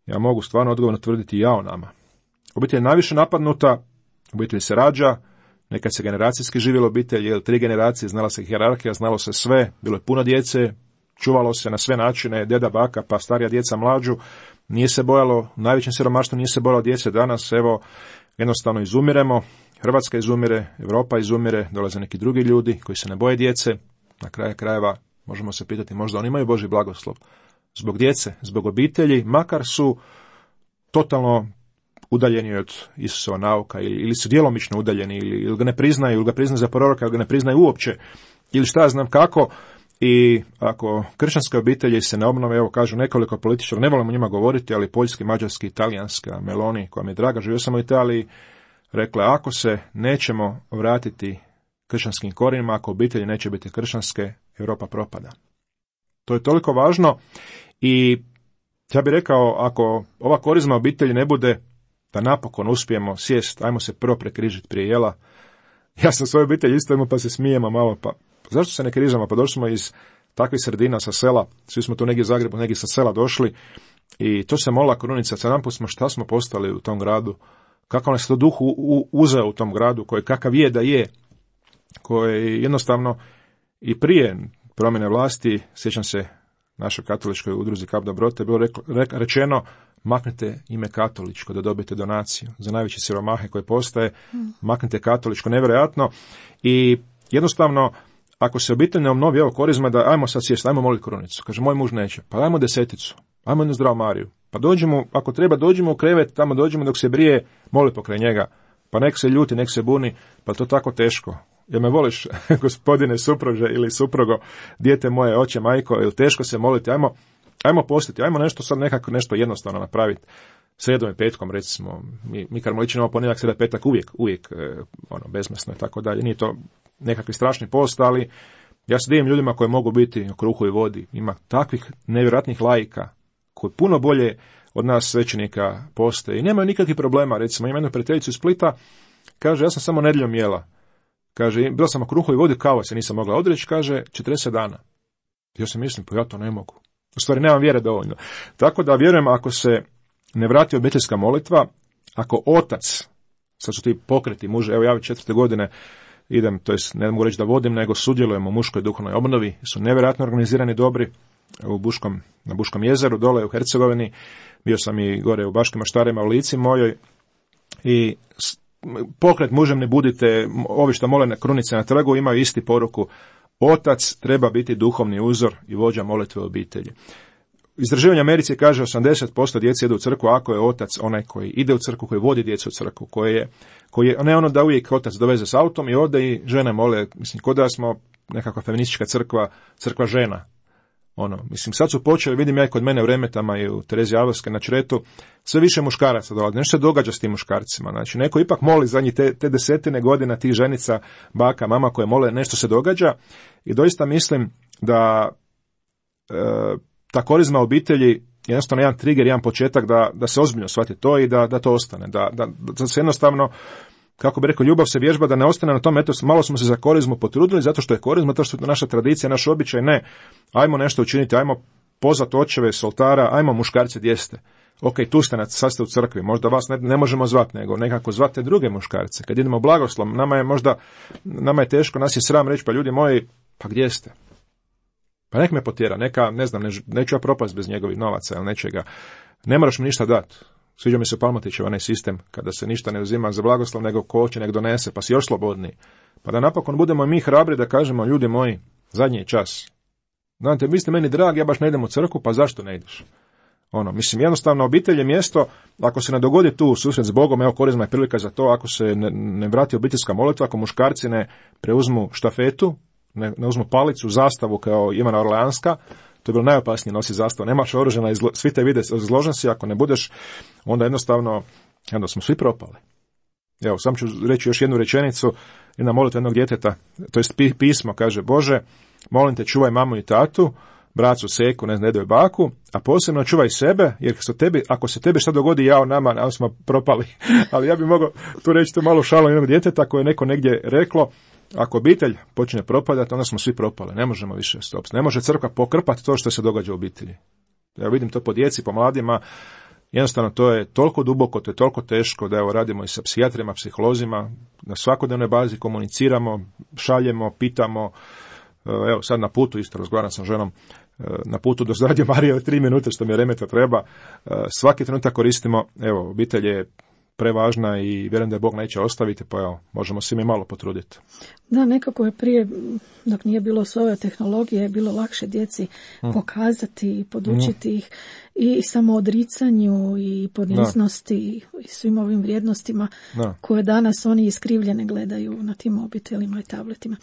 ja mogu stvarno odgovorno tvrditi jao nama. Obitelj je najviše napadnuta, obitelj se rađa, nekad se generacijski živjela obitelj, 3 generacije, znala se hijerarhija, znalo se sve, bilo je puno djece, čuvalo se na sve načine, deda, baka, pa starija djeca mlađu, nije se bojalo, u najvećem siromaštvu nije se bojalo djece, danas, evo, jednostavno izumiremo, Hrvatska izumire, Europa izumire, dolaze neki drugi ljudi koji se ne boje djece, na kraju krajeva možemo se pitati, možda oni imaju Božji blagoslov. Zbog djece, zbog obitelji, makar su totalno udaljeni od Isusova nauka ili su djelomično udaljeni ili ga ne priznaju, ili ga priznaju za proroka, ili ga ne priznaju uopće, ili šta znam kako. I ako kršćanske obitelji se ne obnove, evo kažu nekoliko političara, ne volimo njima govoriti, ali poljski, mađarski, italijanska, Meloni, koja mi je draga, živio sam u Italiji, rekla, ako se nećemo vratiti kršćanskim korijenima, ako obitelji neće biti kršćanske, Europa propada. To je toliko važno i ja bih rekao, ako ova korizma obitelji ne bude, da napokon uspijemo sjest, ajmo se prvo prekrižiti prije jela. Ja sam svoju obitelj isto pa se smijemo malo, pa zašto se ne križamo? Pa došli smo iz takvih sredina sa sela, svi smo tu negdje u Zagrebu, negdje sa sela došli i to se molila Korunica, sad namput smo šta smo postali u tom gradu, kakav nas to duh uzeo u tom gradu, koji kakav je da je, koji jednostavno i prije promjene vlasti, sjećam se našoj katoličkoj udruzi Kap Dobrote, bilo rečeno, maknite ime katoličko da dobijete donaciju za najveće siromahe koje postaje, maknite katoličko, nevjerojatno. I jednostavno, ako se obitelj ne obnovi, evo korizma, da ajmo sad sjesti, ajmo moliti Korunicu. Kaže, moj muž neće, pa ajmo 10, ajmo jednu zdravu Mariju. Pa dođemo, ako treba, dođemo u krevet, tamo dođemo dok se brije, moli pokraj njega. Pa nek se ljuti, nek se buni, pa to tako teško. Jel me voliš, gospodine supruže ili suprugo, dijete moje, oče, majko, ili teško se moliti, ajmo ajmo postiti, ajmo nešto sad nekako nešto jednostavno napraviti. Sredom i petkom, recimo, mi karmeličani imamo ponedjeljak, sreda, petak uvijek bezmesno i tako dalje. Nije to nekakvi strašni post, ali ja se divim ljudima koji mogu biti o kruhu i vodi. Ima takvih nevjerojatnih laika koji puno bolje od nas svećenika poste i nemaju nikakvih problema. Recimo, ima jednu prijateljicu iz Splita, kaže, ja sam samo nedjeljom jela. Kaže, bila sam o kruhu i vodi, kava se nisam mogla odreći, kaže, 40 dana. Ja se mislim, pa ja to ne mogu. U stvari, nemam vjere dovoljno. Tako da vjerujem, ako se ne vrati obiteljska molitva, ako otac, sad su ti pokreti muže, evo ja već 4. godine idem, to jest ne mogu reći da vodim, nego sudjelujem u muškoj duhovnoj obnovi, su nevjerojatno organizirani, dobri, na Buškom jezeru, dole u Hercegovini, bio sam i gore u Baškim Maštarima, u Lici mojoj, i pokret mužem ne budite, ovi što mole na krunice na trgu imaju isti poruku, otac treba biti duhovni uzor i vođa molitve u obitelji. Istraživanje Americi kaže 80% djece ide u crkvu ako je otac onaj koji ide u crkvu, koji vodi djecu u crkvu, koji je ne ono da uvijek otac doveze s autom i ode i žene mole, mislim, kod da smo nekakva feministička crkva žena. Mislim, sad su počeli, vidim ja i kod mene u Remetama i u Tereziji Alvarske na Čretu, sve više muškaraca dolazi. Nešto se događa s tim muškarcima. Znači, neko ipak moli zadnjih te desetine godina tih ženica, baka, mama koje mole, nešto se događa i doista mislim da ta korizma obitelji jednostavno jedan trigger, jedan početak da se ozbiljno shvati to i da to ostane. Da se jednostavno, kako bi rekao, ljubav se vježba, da ne ostane na tome, eto, malo smo se za korizmu potrudili, zato što je korizma, to što je naša tradicija, naš običaj, ne. Ajmo nešto učiniti, ajmo pozvati očeve s oltara, ajmo muškarci gdje ste. Ok, tu ste, sad ste u crkvi, možda vas ne možemo zvati, nego nekako zvate druge muškarce. Kad idemo blagoslov, nama je teško, nas je sram reći, pa ljudi moji, pa gdje ste? Pa nek me potjera, neću ja propast bez njegovih novaca ili nečega. Ne moraš mi ništa dati. Sviđa mi se Palmotićev onaj sistem, kada se ništa ne uzima za blagoslov, nego ko hoće nek donese, pa si još slobodniji. Pa da napokon budemo mi hrabri da kažemo, ljudi moji, zadnji je čas. Znate, vi ste meni dragi, ja baš ne idem u crkvu, pa zašto ne ideš? Mislim, jednostavno, obitelj je mjesto, ako se ne dogodi tu susret s Bogom, evo korizma je prilika za to, ako se ne vrati obiteljska molitva, ako muškarci ne preuzmu štafetu, ne uzmu palicu, zastavu kao Ivana Orleanska, to je bilo najopasnije nositi zastavu, nemaš oružja, svi te vide, izložen si, ako ne budeš, onda jednostavno smo svi propali. Evo, sam ću reći još jednu rečenicu, jedna molitva jednog djeteta, to jest pismo, kaže, Bože, molim te, čuvaj mamu i tatu, bracu, seku, dedu i baku, a posebno čuvaj sebe, jer ako se tebi šta dogodi, jao nama, ali smo propali. Ali ja bih mogao tu reći tu malu šalu jednog djeteta koje je neko negdje reklo, ako obitelj počne propadati, onda smo svi propali, ne možemo više stopiti. Ne može crkva pokrpati to što se događa u obitelji. Ja vidim to po djeci, po mladima, jednostavno to je toliko duboko, to je toliko teško da radimo i sa psihijatrima, psiholozima, na svakodnevnoj bazi komuniciramo, šaljemo, pitamo. Evo sad na putu, isto razgovaram sa ženom, na putu do Radio Marije 3 minute što mi je remeta treba. Svaki trenutak koristimo, evo, obitelj je prevažna i vjerujem da je Bog neće ostaviti, pa evo, možemo svi mi malo potruditi. Da, nekako je prije, dok nije bilo sve ove tehnologije, je bilo lakše djeci pokazati i podučiti ih i samoodricanju i poniznosti i svim ovim vrijednostima koje danas oni iskrivljene gledaju na tim mobitelima i tabletima.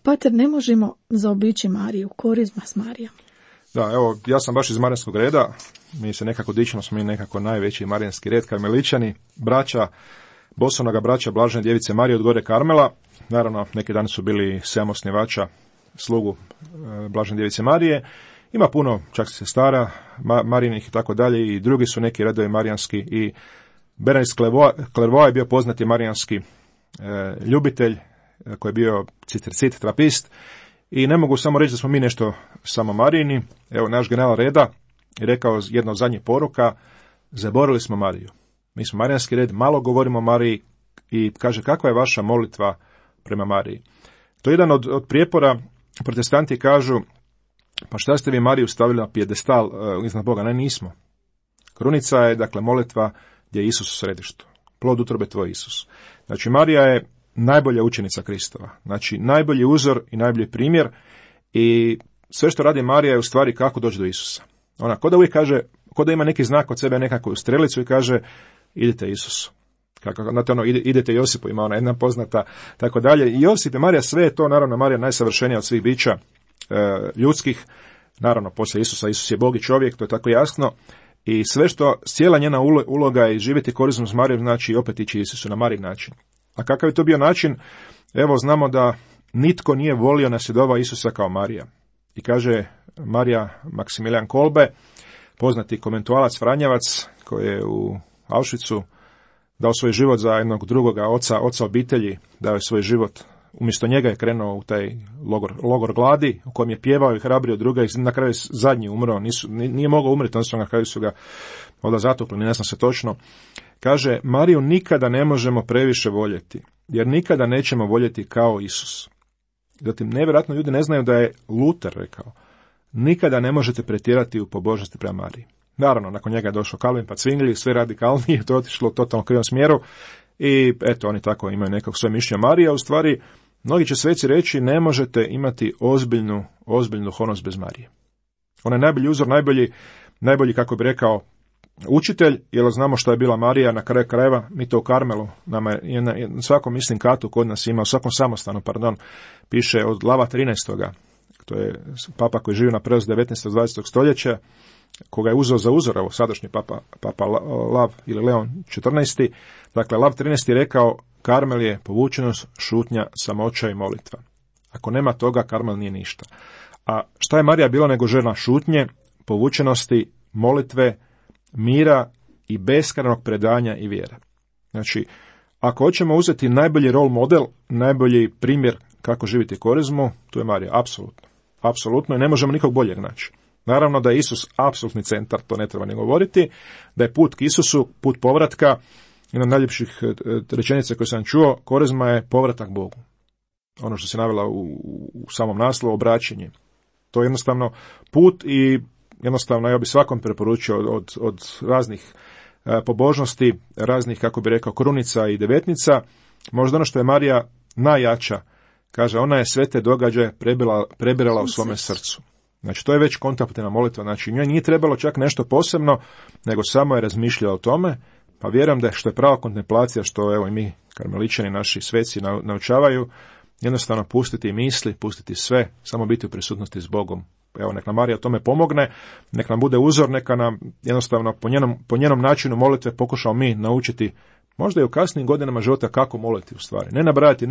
Pater, ne možemo zaobići Mariju, korizma s Marijom. Da, evo, ja sam baš iz Marijanskog reda, mi se nekako dičimo, smo mi nekako najveći Marijanski red, Karmeličani, Bosonoga braća Blažene djevice Marije od Gore Karmela, naravno neki dan su bili 7 osnivača slugu Blažene djevice Marije, ima puno čak sestara Marijinih i tako dalje i drugi su neki redovi marijanski i Bernays Clairvaux je bio poznati marijanski ljubitelj koji je bio cistercit, trapist. I ne mogu samo reći da smo mi nešto samo Marijini. Evo, naš general reda je rekao jedna od zadnjih poruka, zaboravili smo Mariju. Mi smo Marijanski red, malo govorimo o Mariji i kaže, kakva je vaša molitva prema Mariji? To je jedan od prijepora, protestanti kažu, pa šta ste vi Mariju stavili na pijedestal iznad Boga? Ne, nismo. Krunica je, dakle, molitva gdje je Isus u središtu. Plod utrobe tvoj Isus. Znači, Marija je najbolja učenica Kristova. Znači, najbolji uzor i najbolji primjer i sve što radi Marija je u stvari kako doći do Isusa. Ona ko da uvijek kaže, ko da ima neki znak od sebe, nekakvu strelicu i kaže, idite Isusu. Znate, idete Josipu, ima ona jedna poznata, tako dalje. I Josip i Marija, sve je to, naravno, Marija najsavršenija od svih bića ljudskih, naravno poslije Isusa, Isus je Bog i čovjek, to je tako jasno, i sve što, cijela njena uloga je živjeti korizmu s Marijom, znači opet ići Isusu na Marijin način. A kakav je to bio način? Evo, znamo da nitko nije volio nasljedova Isusa kao Marija. I kaže Marija Maksimilijan Kolbe, poznati konventualac Franjevac, koji je u Auschwitzu dao svoj život za jednog drugoga oca obitelji, dao je svoj život. Umjesto njega je krenuo u taj logor gladi, u kojem je pjevao i hrabrio druga i na kraju zadnji umro. Nije mogao umreti, onda na kraju su ga onda zatopili, ne znam se točno. Kaže, Mariju nikada ne možemo previše voljeti, jer nikada nećemo voljeti kao Isus. Zatim, nevjerojatno ljudi ne znaju da je Luter rekao, nikada ne možete pretjerati u pobožnosti prema Mariji. Naravno, nakon njega je došao Calvin pa Zwingli, sve radikalnije, to je otišlo u totalno krivom smjeru i eto, oni tako imaju nekako svoje mišljenje. Marija, u stvari, mnogi će sveci reći, ne možete imati ozbiljnu duhovnost bez Marije. Ona je najbolji uzor, najbolji, kako bi rekao, učitelj, jer znamo što je bila Marija na kraju krajeva, mi to u Karmelu, nama je na svakom mislim katu kod nas ima, u svakom samostanu, piše od Lava 13. To je papa koji živi na prelazu 19. 20. stoljeća, koga je uzeo za uzor, evo sadašnji papa Lav ili Leon 14. Dakle, Lav 13. je rekao, Karmel je povučenost, šutnja, samoća i molitva. Ako nema toga, Karmel nije ništa. A šta je Marija bila nego žena šutnje, povučenosti, molitve, mira i beskrajnog predanja i vjere. Znači, ako hoćemo uzeti najbolji role model, najbolji primjer kako živjeti korizmu, tu je Marija, apsolutno. Apsolutno i ne možemo nikog boljeg naći. Naravno da je Isus apsolutni centar, to ne treba ni govoriti, da je put k Isusu, put povratka, jedna od najljepših rečenica koje sam čuo, korizma je povratak Bogu. Ono što se navela u samom naslovu, obraćenje. To je jednostavno put i jednostavno ja bi svakom preporučio od raznih pobožnosti, raznih, kako bi rekao, krunica i devetnica, možda ono što je Marija najjača, kaže, ona je sve te događaje prebirala u svome srcu. Znači, to je već kontemplativna molitva, znači njoj nije trebalo čak nešto posebno, nego samo je razmišljala o tome, pa vjerujem da je što je prava kontemplacija, što evo i mi, karmeličani, naši sveci naučavaju, jednostavno pustiti misli, pustiti sve, samo biti u prisutnosti s Bogom. Evo, nek nam Marija tome pomogne, nek nam bude uzor, neka nam jednostavno po njenom načinu molitve pokušamo mi naučiti, možda i u kasnim godinama života, kako moliti u stvari. Ne nabrajati,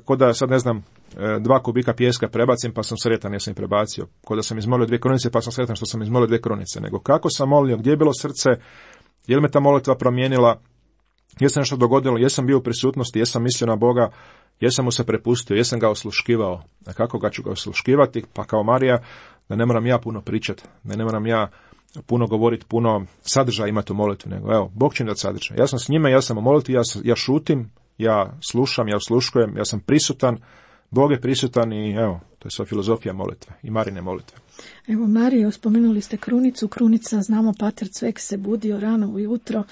ko da sad ne znam, 2 kubika pijeska prebacim pa sam sretan jer sam ih prebacio, ko da sam izmolio 2 krunice pa sam sretan što sam izmolio 2 krunice, nego kako sam molio, gdje je bilo srce, je li me ta molitva promijenila, jesam nešto dogodilo, jesam bio u prisutnosti, jesam mislio na Boga, jesam mu se prepustio, jesam ga osluškivao. A kako ga ću ga osluškivati? Pa kao Marija, da ne moram ja puno pričati, da ne moram ja puno govoriti, puno sadržaja imati u molitvi, nego evo, Bog će mi dati sadržaj. Ja sam s njime, ja sam u molitvi, ja šutim, ja slušam, ja osluškujem, ja sam prisutan, Bog je prisutan i evo, to je sva filozofija molitve i Marine molitve. Evo, Marijo, spomenuli ste krunicu. Krunica, znamo, Pater Cvek se budio rano ujutro,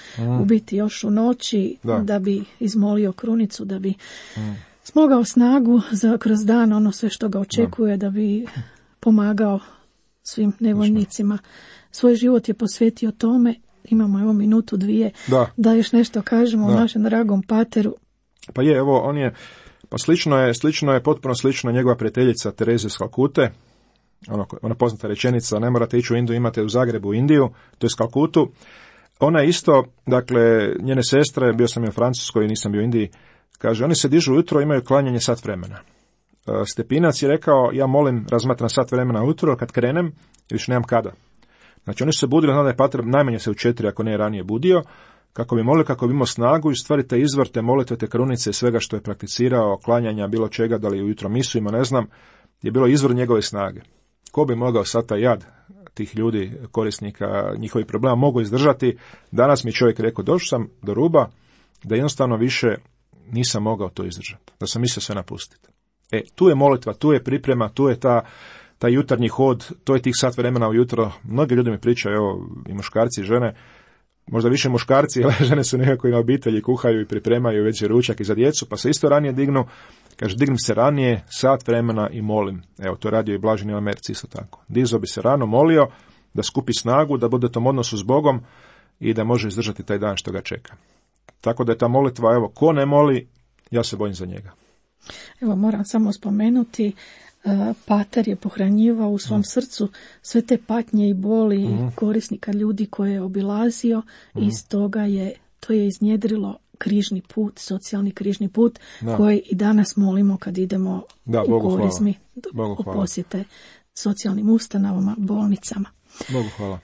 u biti još u noći, da bi izmolio krunicu, da bi smogao snagu kroz dan, ono sve što ga očekuje, da bi pomagao svim nevoljnicima. Svoj život je posvetio tome. Imamo evo minutu, 2, da još nešto kažemo o našem dragom pateru. Pa je, evo, on je, pa slično je, potpuno slično njegova prijateljica Tereza iz Kalkute, ona poznata rečenica, ne morate ići u Indiju, imate u Zagrebu Indiju, to je iz Kalkutu. Ona je isto, dakle, njene sestre, bio sam i u Francuskoj, nisam bio u Indiji, kaže, oni se dižu ujutro, imaju klanjanje sat vremena. Stepinac je rekao, ja molim, razmatram sat vremena ujutro, kad krenem, više nemam kada. Znači, oni su se budili, znam da je pater najmanje se u 4, ako ne ranije budio, kako bi molio, kako bi imao snagu i stvari te izvrte, molitve, te krunice i svega što je prakticirao, klanjanja, bilo čega, da li ujutro misu ima, ne znam, je bilo izvor njegove snage. Ko bi mogao sad taj jad tih ljudi, korisnika, njihovih problema, mogu izdržati? Danas mi čovjek rekao, došao sam do ruba, da jednostavno više nisam mogao to izdržati, da sam mislio sve napustiti. Tu je molitva, tu je priprema, tu je taj jutarnji hod, to je tih sat vremena ujutro. Mnogi ljudi mi pričaju, evo, i muškarci i žene, možda više muškarci, ali žene su nekako i na obitelji, kuhaju i pripremaju već ručak i za djecu, pa se isto ranije dignu. Kaže, dignem se ranije, sat vremena i molim. Evo, to je radio i Blaženi u Americi isto tako. Dizao bi se rano, molio, da skupi snagu, da bude u tom odnosu s Bogom i da može izdržati taj dan što ga čeka. Tako da je ta molitva, evo, ko ne moli, ja se bojim za njega. Evo, moram samo spomenuti, pater je pohranjivao u svom srcu sve te patnje i boli korisnika, ljudi koje je obilazio i iz toga to je iznjedrilo križni put, socijalni križni put koji i danas molimo kad idemo u korizmi, u posjete socijalnim ustanovama, bolnicama. Bogu hvala.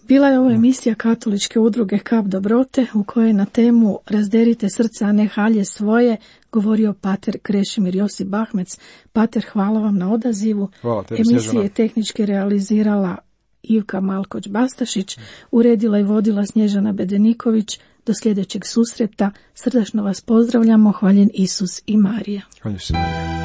Bila je ovo emisija Katoličke udruge Kap dobrote u kojoj na temu Razderite srca, a ne halje svoje govorio pater Krešimir Josip Bahmec. Pater, hvala vam na odazivu. Emisiju je tehnički realizirala Ivka Malkoć-Bastašić, uredila i vodila Snježana Bedeniković. Do sljedećeg susreta srdačno vas pozdravljamo. Hvaljen Isus i Marija. Hvaljen se Marija.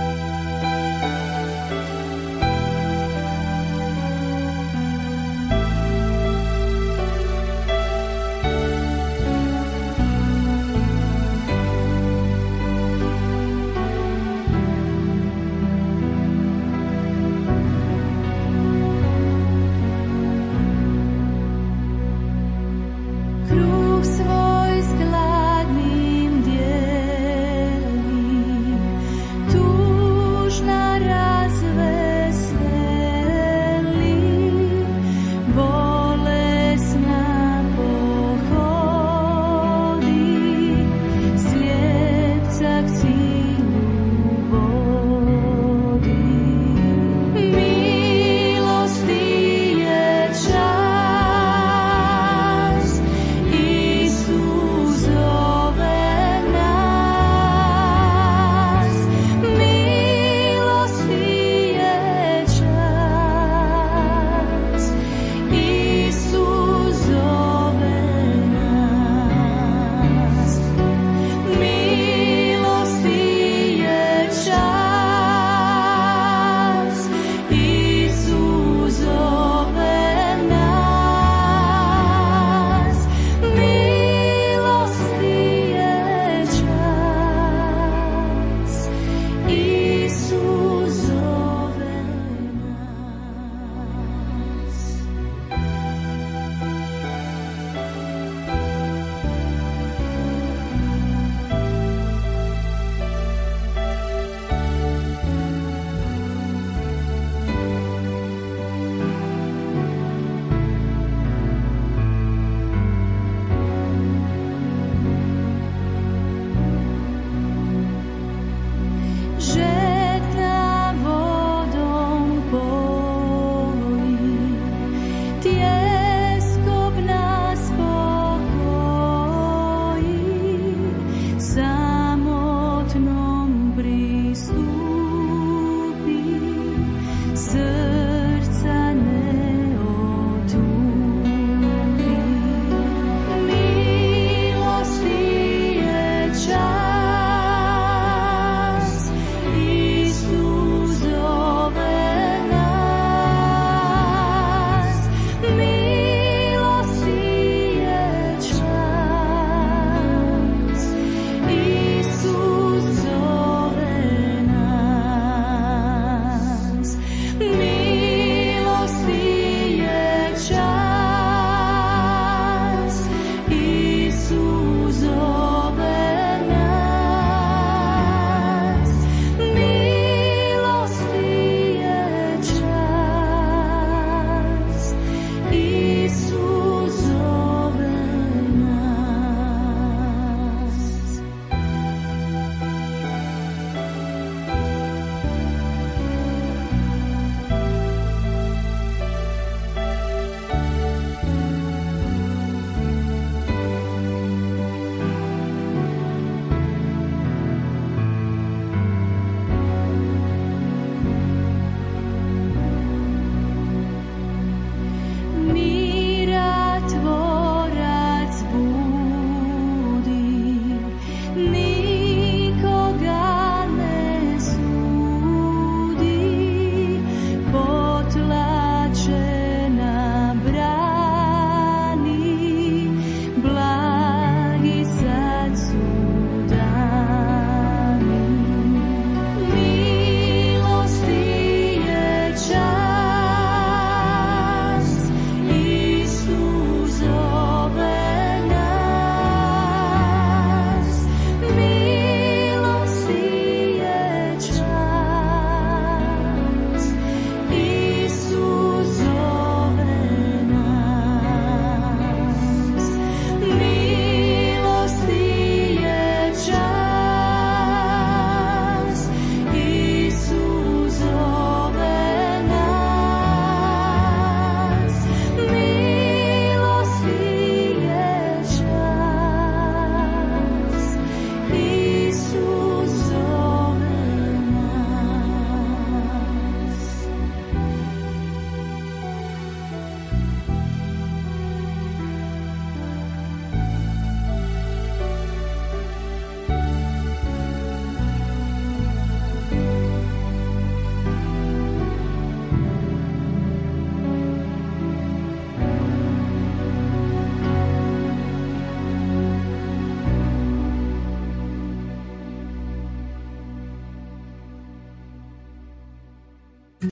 Samotno